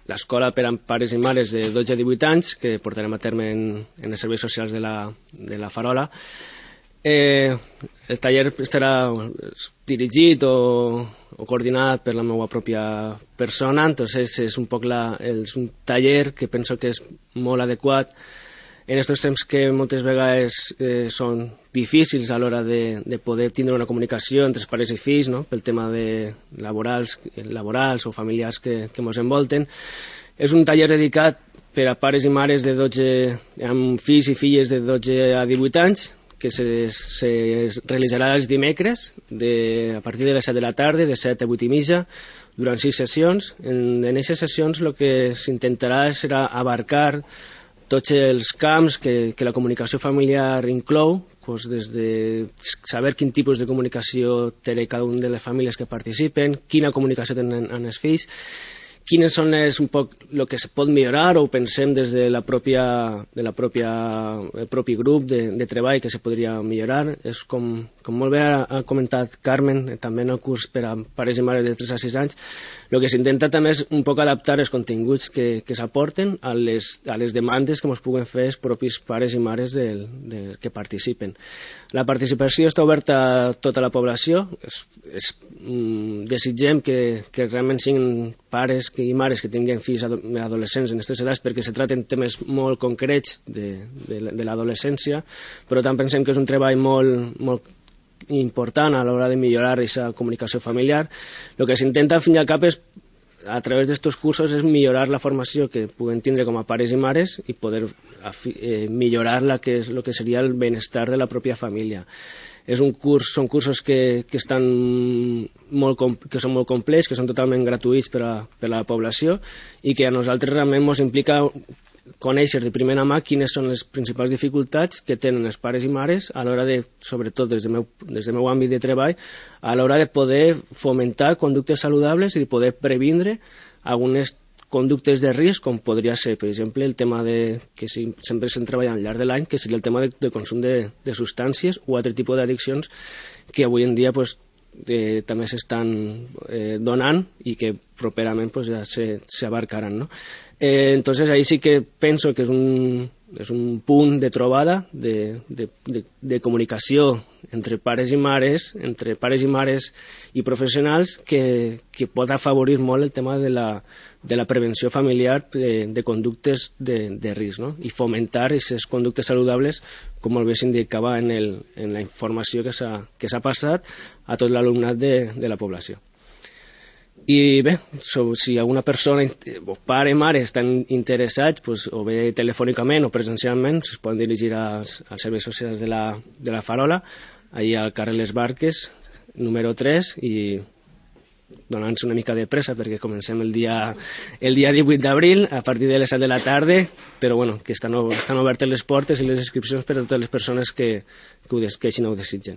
l'escola per a pares i mares de 12 a 18 anys, que portarem a terme en els serveis socials de la Farola. El taller estarà dirigit o coordinat per la meva pròpia persona, entonces és un taller que penso que és molt adequat en aquests temps que moltes vegades són difícils a l'hora de poder tindre una comunicació entre els pares i fills, no? Pel tema de laborals o familiars que ens envolten. És un taller dedicat per a pares i mares amb fills i filles de 12 a 18 anys, que se realitzarà els dimecres a partir de les 7 de la tarda, de 7 a 8 i mitja, durant 6 sessions. En aquestes sessions el que s'intentarà serà abarcar tots els camps que la comunicació familiar inclou, des de saber quin tipus de comunicació té cada una de les famílies que participen, quina comunicació tenen amb els fills, quines són un poc el que es pot millorar o pensem des de el propi grup de treball que se podria millorar. És com molt bé ha comentat Carmen, també en el curs per a pares i mares de 3 a 6 anys, el que s'intenta també és un poc adaptar els continguts que s'aporten a les demandes que ens puguen fer els propis pares i mares que participen. La participació està oberta a tota la població. Desitgem que realment siguin pares i mares que tinguin fills adolescents en aquestes edats, perquè se traten temes molt concrets de l'adolescència, però també pensem que és un treball molt important a l'hora de millorar aquesta comunicació familiar. El que s'intenta al fin i al cap és, a través d'aquests cursos, és millorar la formació que puguem tindre com a pares i mares i poder millorar el que seria el benestar de la pròpia família. Són cursos que són molt complets, que són totalment gratuïts per a la població i que a nosaltres realment ens implica conèixer de primera mà quines són les principals dificultats que tenen els pares i mares a l'hora de, sobretot des del meu àmbit de treball, a l'hora de poder fomentar conductes saludables i de poder previndre algunes conductes de risc, com podria ser, per exemple, el tema que sempre s'han treballat al llarg de l'any, que seria el tema de consum de substàncies o altre tipus d'addiccions que avui en dia també s'estan donant i que properament ja s'abarcaran, no? Entonces ahí sí que penso que és un punt de trobada de comunicació entre pares i mares i professionals que pot afavorir molt el tema de la prevenció familiar de conductes de risc, no? I fomentar aquestes conductes saludables, com molt bé s'indicava en la informació que s'ha passat a tot l'alumnat de la població. I bé, si alguna persona o pare o mare estan interessats, o bé telefònicament o presencialment, es poden dirigir als serveis socials de la Farola, allà al carrer Les Barques, número 3, i donant-se una mica de pressa perquè comencem el dia 18 d'abril a partir de les 7 de la tarda, però bueno, que estan obertes les portes i les inscripcions per a totes les persones que així no ho desitgen.